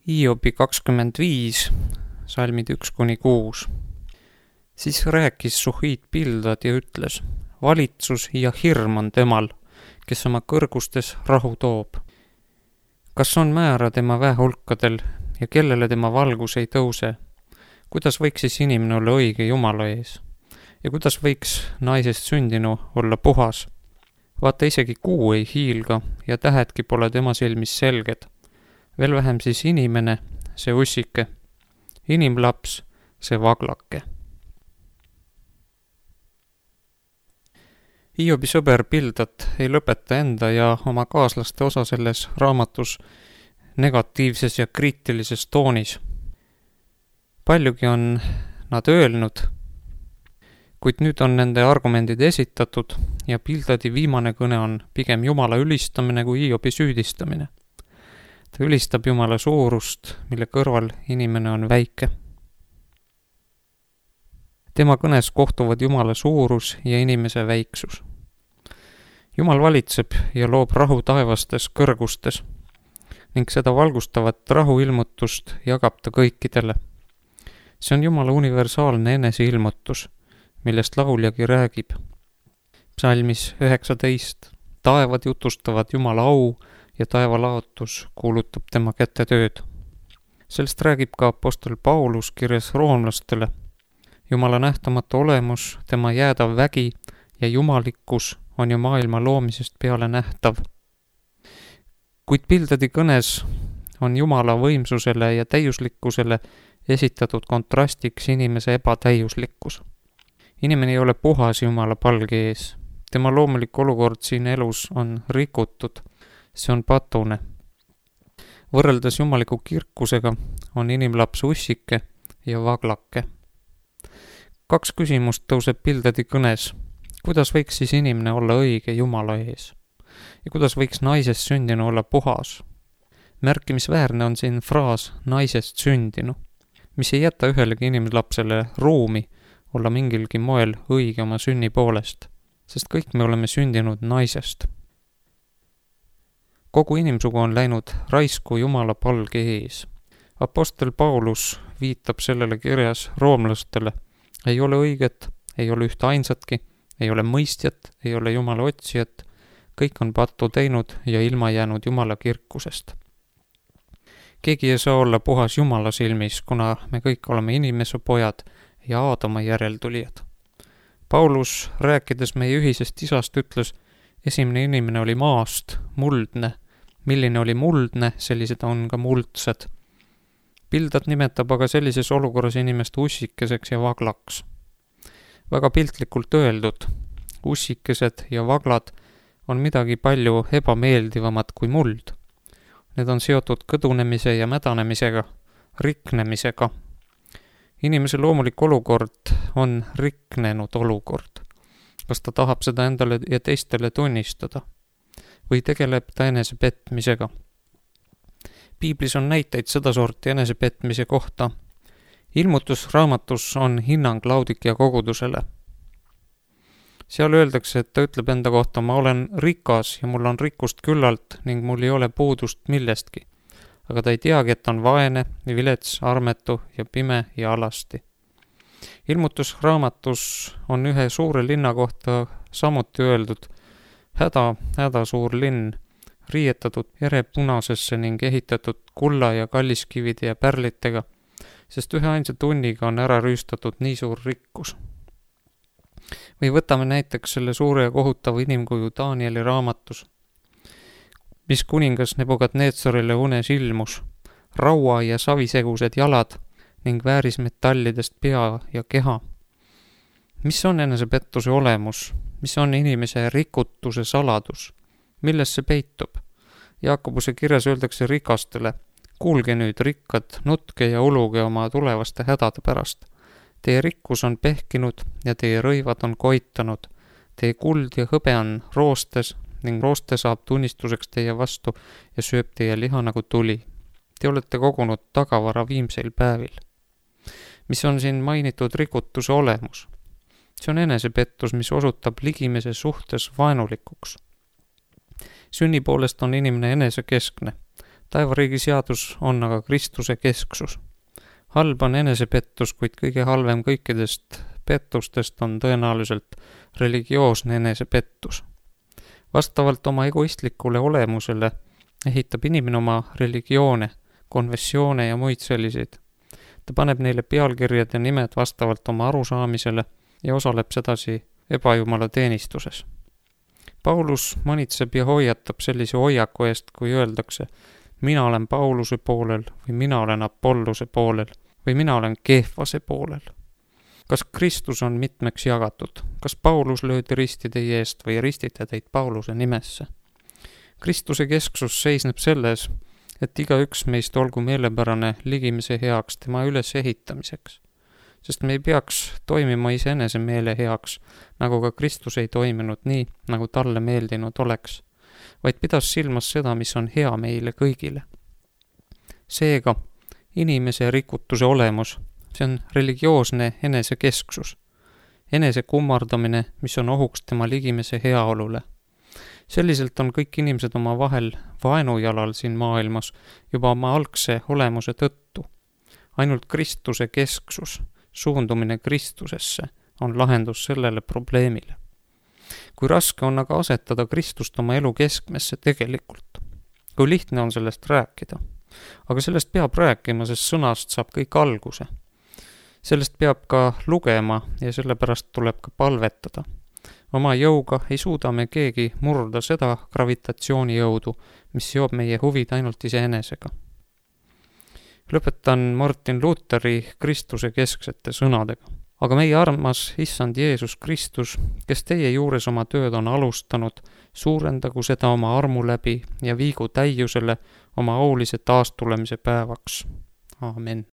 Hiobi 25, salmid 1-6. Siis rääkis Suhiit Pildad ja ütles, valitsus ja hirm on temal, kes oma kõrgustes rahu toob. Kas on määra tema väehulkadel ja kellele tema valgus ei tõuse? Kuidas võiks siis inimene olla õige Jumala ees? Ja kuidas võiks naisest sündinu olla puhas? Vaata, isegi kuu ei hiilga ja tähedki pole tema silmis selged. Veel vähem siis inimene, see ussike, inimlaps, see vaglake. Hiobi sõber Pildad ei lõpeta enda ja oma kaaslaste osa selles raamatus negatiivses ja kriitilises toonis. Paljugi on nad öelnud, kuid nüüd on nende argumendid esitatud ja Pildadi viimane kõne on pigem Jumala ülistamine kui Hiobi süüdistamine. Ta ülistab Jumala suurust, mille kõrval inimene on väike. Tema kõnes kohtuvad Jumala suurus ja inimese väiksus. Jumal valitseb ja loob rahu taevastes kõrgustes ning seda valgustavat rahuilmutust jagab ta kõikidele. See on Jumala universaalne eneseilmutus, millest lauljagi räägib. Psalmis 19. Taevad jutustavad Jumala au ja taevalaotus kuulutab tema kätte tööd. Sellest räägib ka apostel Paulus kirjas roomlastele. Jumala nähtamatu olemus, tema jäädav vägi ja jumalikkus on ju maailma loomisest peale nähtav. Kuid Pildadi kõnes on Jumala võimsusele ja täiuslikkusele esitatud kontrastiks inimese ebatäiuslikkus. Inimene ei ole puhas Jumala palge ees. Tema loomulik olukord siin elus on rikutud. See on patune. Võrreldes jumaliku kirkusega on inimlaps ussike ja vaglake. 2 küsimust tõuseb Pildadi kõnes. Kuidas võiks siis inimene olla õige Jumala ees? Ja kuidas võiks naisest sündinu olla puhas? Märkimisväärne on siin fraas naisest sündinu, mis ei jäta ühelegi inimlapsele ruumi olla mingilgi moel õige oma sünni poolest, sest kõik me oleme sündinud naisest. Kogu inimsugu on läinud raisku Jumala palge ees. Apostel Paulus viitab sellele kirjas roomlastele. Ei ole õiget, ei ole ühte ainsatki, ei ole mõistjat, ei ole Jumala otsijat. Kõik on pattu teinud ja ilma jäänud Jumala kirkusest. Keegi ei saa olla puhas Jumala silmis, kuna me kõik oleme inimese pojad ja Aadama järeltulijad. Paulus, rääkides meie ühisest isast, ütles, esimene inimene oli maast, muldne. Milline oli muldne, sellised on ka muldsed. Pildad nimetab aga sellises olukorras inimest ussikeseks ja vaglaks. Väga piltlikult öeldud, ussikesed ja vaglad on midagi palju ebameeldivamat kui muld. Need on seotud kõdunemise ja mädanemisega, riknemisega. Inimese loomulik olukord on riknenud olukord. Kas ta tahab seda endale ja teistele tunnistada? Või tegeleb ta enesepetmisega? Piiblis on näiteid sedasorti enesepetmise kohta. Ilmutusraamatus on hinnang Laodikia kogudusele. Seal öeldakse, et ta ütleb enda kohta, ma olen rikas ja mul on rikkust küllalt ning mul ei ole puudust millestki. Aga ta ei teagi, et on vaene, vilets, armetu ja pime ja alasti. Ilmutusraamatus on ühe suure linna kohta samuti öeldud, häda suur linn, riietatud erepunasesse ning ehitatud kulla ja kalliskivide ja pärlitega, sest ühe ainsa tunniga on ära rüüstatud nii suur rikkus. Või võtame näiteks selle suure ja kohutava inimkuju Danieli raamatus, mis kuningas Nebukadnetsarile unes ilmus, raua ja savisegused jalad ning väärismetallidest pea ja keha. Mis on enesepettuse olemus? Mis on inimese rikutuse saladus? Milles see peitub? Jaakobuse kirjas öeldakse rikastele, kuulge nüüd rikkad, nutke ja uluge oma tulevaste hädade pärast. Teie rikkus on pehkinud ja teie rõivad on koitanud. Teie kuld ja hõbe on roostes ning rooste saab tunnistuseks teie vastu ja sööb teie liha nagu tuli. Te olete kogunud tagavara viimseil päevil. Mis on siin mainitud rikutuse olemus? See on enesepettus, mis osutab ligimese suhtes vaenulikuks. Sünni poolest on inimene enesekeskne. taevariigi seadus on aga Kristuse kesksus. Halb on enesepettus, kuid kõige halvem kõikidest pettustest on tõenäoliselt religioosne enesepettus. Vastavalt oma egoistlikule olemusele ehitab inimene oma religioone, konfessioone ja muid selliseid. Ta paneb neile pealkirjad ja nimed vastavalt oma arusaamisele ja osaleb sedasi ebajumala teenistuses. Paulus manitseb ja hoiatab sellise hoiaku eest, kui öeldakse, mina olen Pauluse poolel või mina olen Apollose poolel või mina olen Keefase poolel. Kas Kristus on mitmeks jagatud? Kas Paulus löödi risti teie eest või ristite teid Pauluse nimesse? Kristuse kesksus seisneb selles, et igaüks meist olgu meelepärane ligimise heaks tema ülesehitamiseks, sest me ei peaks toimima iseenese meele heaks, nagu ka Kristus ei toiminud nii, nagu talle meeldinud oleks, vaid pidas silmas seda, mis on hea meile kõigile. Seega, inimese rikutuse olemus, see on religioosne enesekesksus, enese kummardamine, mis on ohuks tema ligimise heaolule. Selliselt on kõik inimesed oma vahel vaenujalal siin maailmas juba oma algse olemuse tõttu. Ainult Kristuse kesksus, suundumine Kristusesse on lahendus sellele probleemile. Kui raske on aga asetada Kristust oma elu keskmesse tegelikult, kui lihtne on sellest rääkida. Aga sellest peab rääkima, sest sõnast saab kõik alguse. Sellest peab ka lugema ja sellepärast tuleb ka palvetada. Oma jõuga ei suuda me keegi murda seda gravitatsioonijõudu, mis seob meie huvid ainult iseenesega. Lõpetan Martin Lutheri Kristuse kesksete sõnadega. Aga meie armas Issand Jeesus Kristus, kes teie juures oma tööd on alustanud, suurendagu seda oma armu läbi ja viigu täiusele oma aulise taastulemise päevaks. Aamen.